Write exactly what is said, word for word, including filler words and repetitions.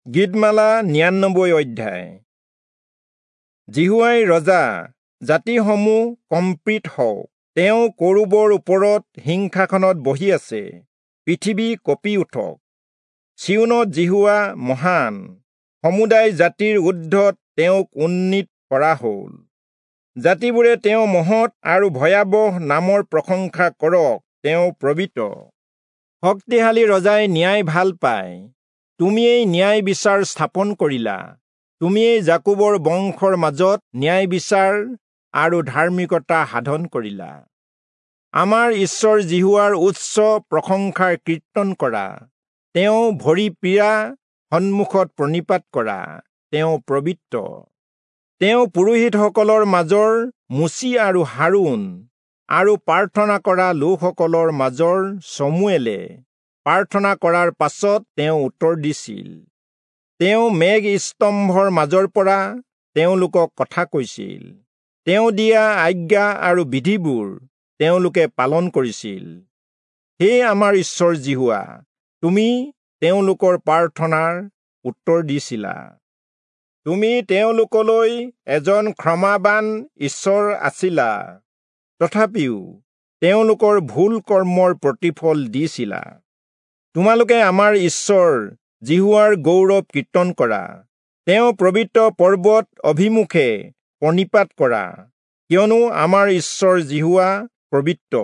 গীতমালা নিৰানব্বৈ অধ্যায়। যিহোৱাই ৰজা, জাতিসমূহ কম্পিত হওক। তেওঁ কৰূবৰ ওপৰত সিংহাসনত বহি আছে, পৃথিৱী কঁপি উঠক। চিয়োনত যিহোৱা মহান, সমুদায় জাতিৰ ঊৰ্ধ্বত তেওঁক উন্নীত কৰা হ'ল। জাতিবোৰে তেওঁ মহৎ আৰু ভয়াৱহ নামৰ প্ৰশংসা কৰক, তেওঁ পবিত্ৰ। শক্তিশালী ৰজাই ন্যায় ভাল পায়। তুমিয়েই ন্যায় বিচাৰ স্থাপন কৰিলা। তুমিয়েই যাকোবৰ বংশৰ মাজত ন্যায় বিচাৰ আৰু ধাৰ্মিকতা সাধন কৰিলা। আমাৰ ঈশ্বৰ যিহোৱাৰ উচ্চ প্ৰশংসাৰ কীৰ্তন কৰা। তেওঁ ভৰি পীড়া সন্মুখত প্ৰণিপাত কৰা, তেওঁ পবিত্ৰ। তেওঁ পুৰোহিতসকলৰ মাজৰ মোচি আৰু হাৰোণ আৰু প্ৰাৰ্থনা কৰা লোকসকলৰ মাজৰ চমুৱেলে প্ৰাৰ্থনা কৰাৰ পাছত তেওঁ উত্তৰ দিছিল। তেওঁ মেঘ স্তম্ভৰ মাজৰ পৰা তেওঁলোকক কথা কৈছিল। তেওঁ দিয়া আজ্ঞা আৰু বিধিবোৰ তেওঁলোকে পালন কৰিছিল। হে আমাৰ ঈশ্বৰ যিহোৱা, তুমি তেওঁলোকৰ প্ৰাৰ্থনাৰ উত্তৰ দিছিলা। তুমি তেওঁলোকলৈ এজন ক্ষমাবান ঈশ্বৰ আছিলা, তথাপিও তেওঁলোকৰ ভুল কৰ্মৰ প্ৰতিফল দিছিলা। তোমালোকে আমাৰ ঈশ্বৰ যিহোৱাৰ গৌৰৱ কীৰ্তন কৰা। তেওঁ পবিত্ৰ পৰ্বত অভিমুখে প্ৰণিপাত কৰা, কিয়নো আমাৰ ঈশ্বৰ যিহোৱা পবিত্ৰ।